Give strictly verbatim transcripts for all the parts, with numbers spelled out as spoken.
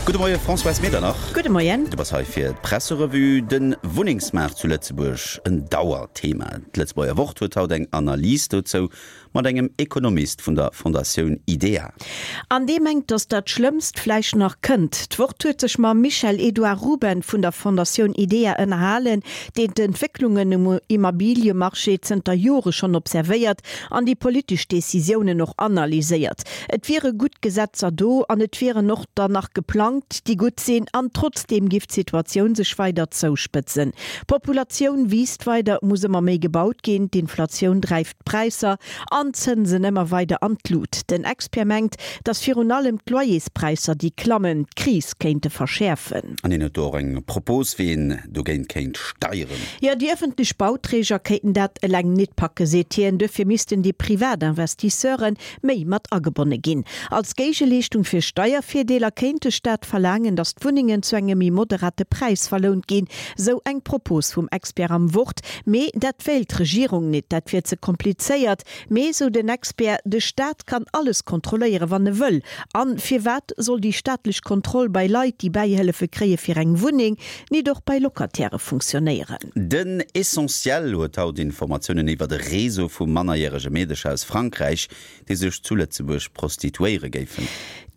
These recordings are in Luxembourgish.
Gudde Moie Françoise Medernach. Gudde Moien. Du bass hei fir d'Presserevue. De Wunnengsmaart zu Lëtzebuerg, en Dauerthema. D'Lëtzebuerger Wort huet haut eng Analys dozou mat engem Ekonomist vun der Fondatioun IDEA. An dee mengt, datt dat Schlëmmst vläicht nach kënnt. D'Wort huet sech mam Michel-Edouard Ruben vun der Fondatioun IDEA ënnerhalen, deen d'Entwécklungen um Immobiliemarché zënter Jore schonn observéiert an déi politesch Decisiounen och analyséiert. Et wiere gutt Gesetzer do an et wieren och der nach geplangt, déi gutt sinn, an trotzdeem giff d'Situatioun sech weider zouspëtzen. D'Populatioun wiisst weider, et muss ëmmer méi gebaut ginn, d'Inflatioun dreift d'Präisser an d'Zënsen ëmmer weider an d'Lut. Den Expert mengt, datt virun allem d'Loyerspräisser, déi klammen, d'Kris kéinte verschäerfen. An hien huet do och eng Propos, wéi een dogéint kéint steieren. Jo, déi ëffentlech Bauträger kéinten dat eleng nit packen, seet hien. Duerfir missten déi privat Investisseure méi mat agebonne ginn. Als Géigeleeschtung fir Steiervirdeeler kéint de Staat verlaangen, datt d'Wunnengen zu engem méi moderate Präis verlount ginn, sou eng Propos vum Expert am Wort. Mee dat wéilt d'Regierung nit, dat wier ze komplizéiert. Mee, sou den Expert, de Staat kann alles kontrolléieren, wann e wëll. An firwat soll déi staatlech Kontroll bei Leit, déi Bäihëllefe kréie fir eng Wunneng, nit och bei Locatairë funktionéieren? Den Essentiel huet haut Informatiounen iwwert e Réseau vu mannerjärege Meedecher aus Frankräich, déi sech zu Lëtzebuerg prostituéiere géifen.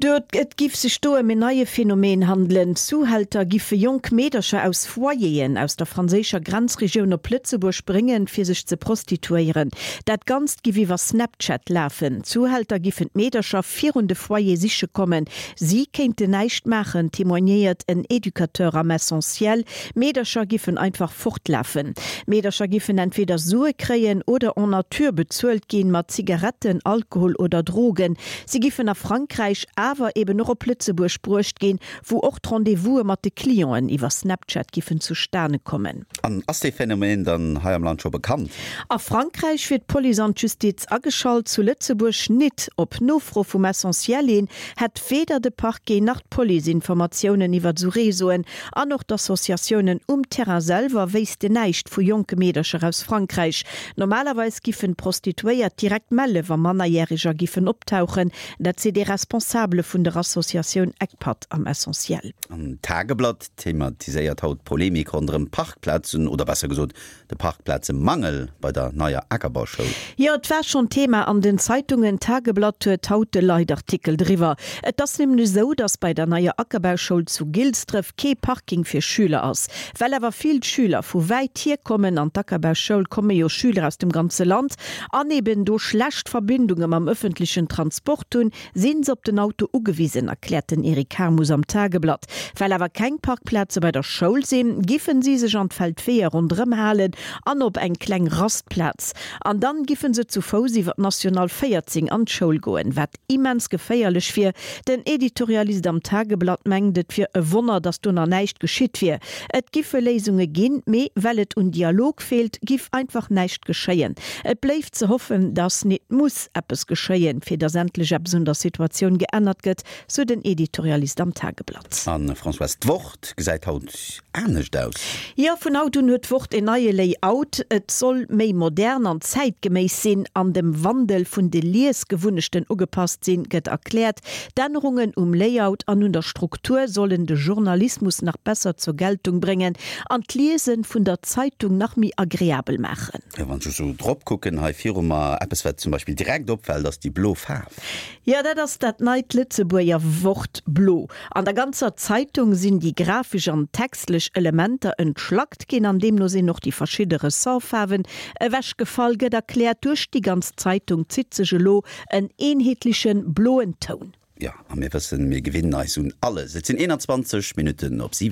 Et giff sech do ëm en neie Phänomen handelen. Zuhälter giffe jonk Meedercher aus Foyeren aus der franséischer Grenzregioun op Lëtzebuerg bréngen, fir sech ze prostituéieren. Dat Ganzt giff iwwer Snapchat lafen. D'Zuhälter giffen d'Meedercher virun de Foyer siche kommen. Si kéinten näischt maachen, témoignéiert en Educateur am Essentiel. D'Meedercher giffen einfach fortlafen. D'Meedercher giffen entweder Sue kréien oder en nature bezuelt ginn, mat Zigaretten, Alkohol oder Drogen. Si giffen a Frankräich, awer eben och op Lëtzebuerg bruecht ginn, wou och d'Rendez-vouse mat de Clienten iwwer Snapchat giffen zustane kommen. An ass dee Phänomen dann hei am Land scho bekannt? A Frankräich wier d'Police an d'Justiz ageschalt, zu Lëtzebuerg nit. Op Nofro vum Essentiel hin hätt weder de Parquet nach d'Police Informatiounen iwwer esou Réseauen an och d'Associatiounen um Terrain selwer wéissten näischt vu jonke Meedercher aus Frankräich. Normalerweis giffen d'Prostituéiert direkt melle wa Mannerjäreger giffen optauchen, dat seet ee Responsabele vun der Associatioun ECPAT am Essentiel. An d'Tageblatt thematiséiert haut d'Polemik ronderëm d'Parkplazen, oder besser gesot de Parkplazemangel bei der neier Akerbauschoul. Jo, et war schonn Thema an den Zeitungen. D'Tageblatt huet haut e Leitartikel driwwer. Et ass nämlech esou, datt bei der neier Akerbauschoul zu Gilsdref kee Parking fir Schüler ass. Well awer vill Schüler vu wäit hier kommen, an d'Akerbauschoul komme jo Schüler aus dem ganze Land, an eben do schlecht Verbindunge mam ëffentlechen Transport hunn, sinn se op den Auto ugewisen, erkläert den Eric Harmus am Tageblatt. Well awer keng Parkplaze bei der Schoul sinn, giffen si sech an d'Feldweeër ronderëm halen an op eng kleng Rastplaz. An dann giffen se zu Fouss iwwer d'National véierzéng an d'Schoul goen, wat immens geféierlech wier. Den Editorialist am Tageblatt mengt, et wier e Wonner, datt do nach näischt geschitt wier. Et giffe Léisunge ginn, mee well et un Dialog feelt, giff einfach näischt geschéien. Et bléift ze hoffen, datt nit muss eppes geschéien, fir datt endlech eppes un der Situatioun geännert gëtt, sou den Editorialist am Tageblatt. An Françoise, d'Wort gesäit haut anescht aus. Jo, vun haut un huet d'Wort en neie Layout. Et soll méi modern an zäitgeméiss sinn an dem Wandel vun de Liesgewunnechten ugepasst sinn, gëtt erkläert. D'Ännerungen um Layout an un der Struktur sollen de Journalismus nach besser zur Geltung bréngen an d'Liese vun der Zeitung nach méi agreabel maachen. Jo, wann ech esou drop kucken hei viru mer, eppes wat zum Beispill direkt opfält, ass déi blo Faarf. Jo, dat ass dat neit Lëtzebuerger Wort blo. An der ganzer Zeitung sinn déi grafesch an textlech Elementer entschlackt ginn an deemno sinn och déi verschidde Ressortfaarwen ewechgefall, gëtt erkläert. Duerch déi ganz Zeitung zitt sech elo en eenheetleche bloen Toun. Jo, a mir wëssen, mir gewinnen eis un alles. Et sinn eenanzwanzeg Minutten op siwen.